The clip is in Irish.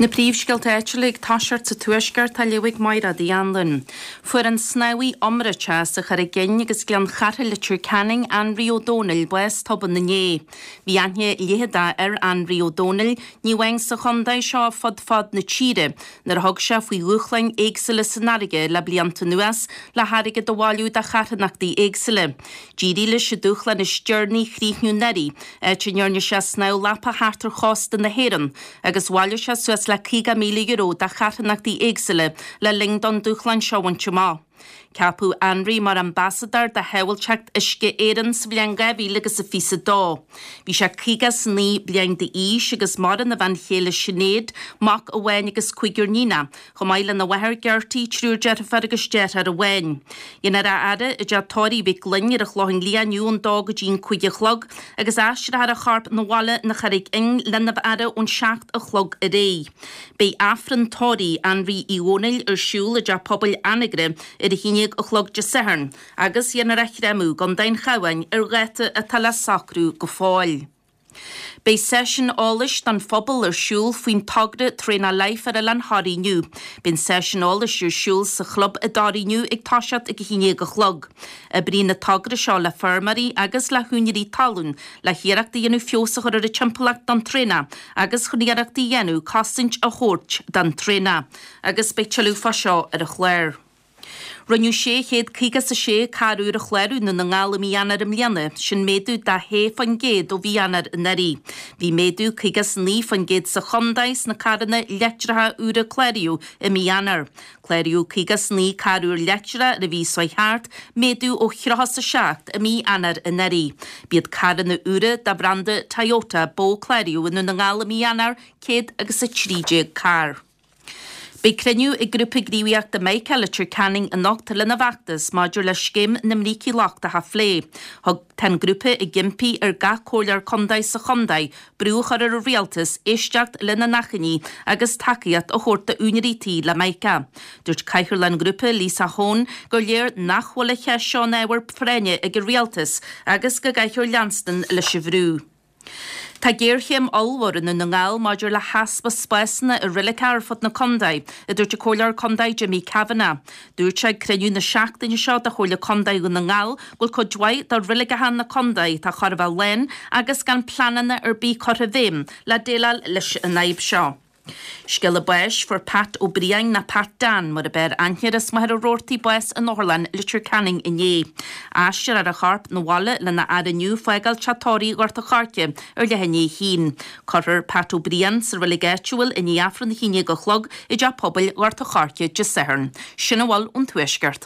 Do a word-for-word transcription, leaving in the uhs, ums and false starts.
Na príomhscéalta áitiúla ag toiseacht sa Tuaisceart á léamh ag Máire Uí Anluain. Fuair an snámhaí iomráiteach as an Charraig Fhinn agus Gleann Chartha Leitir Ceanainn Anraí Ó Dónaill bás tobann inné. Bhí aithne leitheadach ar Anraí Ó Dónaill, ní amháin sa chontae seo fud fad na tíre, nuair a thug sé faoi dhúshláin éagsúla san fharraige le blianta anuas le hairgead a bhailiú do charthanachtaí éagsúla. D'éirigh leis an dúshlán is deireanaí a chríochnú anuraidh, áit a ndearna sé snámh lapa thart ar chósta na hÉireann agus bhailigh sé suas le caoga míle euro do charthanachtaí éagsúla le linn don dúshlán seo a bhaint amach. Ceapadh Anraí mar ambasadóir do Shábháilteacht Uisce Éireann sa bhliain dhá mhíle agus a fiche a dó. Bhí sé caoga is naoi bliain d'aois agus maireann a bhean chéile Sinéad, mac amháin agus cúigear níonach, chomh maith lena mháthair Gertie, triúr deirfiúr agus deartháir amháin. Dhéanfar a fhaire i dteach tórraimh Mhic Fhloinn ar an Chlochán Liath inniu ón dó go dtí an cúig a chlog agus aistreofar a chorp 'na bhaile na Charraig Fhinn lena fhaire ón seacht a chlog ar aghaidh. Beidh Aifreann tórraimh Anraí Uí Dhónaill ar siúl i dteach pobail Anagaire ar a haon déag a chlog Dé Sathairn agus dhéanfar a chréamadh i gContae an Chabháin ar dháta atá le socrú go fóill. Beidh seisiún eolais don phobal ar siúl faoin togra Traonach Life ar Oileán Thoraí inniu. Beidh an seisiún eolais ar siúl sa chlub i dToraigh inniu ag toiseacht ag a haon déag a chlog. Oibríonn an togra seo le feirmeoirí agus le húinéirí talún le hiarracht a dhéanamh feabhas a chur ar an timpeallacht don traonach agus chun iarracht a dhéanamh cosaint a thabhairt don traonach. Agus beidh tuilleadh fá seo ar an chlár. Rinneadh sé chéad caoga is a sé carr úr a chlárú i nDún na nGall i mí Eanáir i mbliana, sin méadú de shé faoin gcéad ó mhí Eanáir anuraidh. Bhí méadú caoga is naoi faoin gcéad sa chontae sna carranna leictreacha úra a cláraíodh i mí Eanáir. Cláraíodh caoga is naoi carr úr leictreach ar an mhí seo thart, méadú ó thríocha is a seacht i mí Eanáir anuraidh. B'iad carranna úra de bhranda Toyota ba mhó a cláraíodh i nDún na nGall i mí Eanáir, céad agus a trí déag carr. Beidh cruinniú ag Grúpa Gníomhaíochta Mica Leitir Ceanainn anocht lena bhfeachtas maidir le scéim na mbrící lochtacha a phlé. Thug Tá an grúpa ag impí ar gach comhairleoir contae sa chontae brú a chur ar an rialtas éisteacht lena n-achainí agus tacaíocht a thabhairt d'úinéirí tí le Mica. Dúirt cathaoirleach an ghrúpa, Lisa Hone, gur léir nach bhfuil an cheist seo ina ábhar práinne ag an rialtas agus go gcaithfear leanstan leis an bhrú. Tá géarchéim ollmhór i nDún na nGall maidir le heaspa spásanna i reiligeacha ar fud na contae, a dúirt an Comhairleoir Contae Jimmy Kavanagh. Dúirt sé ag cruinniú na seachtaine seo de Chomhairle Contae Dhún na nGall go bhfuil cuid mhaith de reiligeacha na contae atá chóir a bheith lán agus gan pleananna ar bith curtha i bhfeidhm le déileáil leis an fhadhb seo. Scéala báis, Fuair Pat Ó Briain, nó Pat Dan mar a b'fhearr aithne air as Machaire Rabhartaigh bás in Otharlann Leitir Ceanainn inné. Aistreofar a chorp 'na bhaile lena fhaire inniu fágáil teach tórraimh Ghort a' Choirce ar leath i ndiaidh a haon. Cuirfear Pat Ó Briain sa reilig áitiúil i ndiaidh Aifreann a haon déag a chlog i dTeach Pobail Ghort a' Choirce Dé Sathairn. Sin a bhfuil ón Tuaisceart.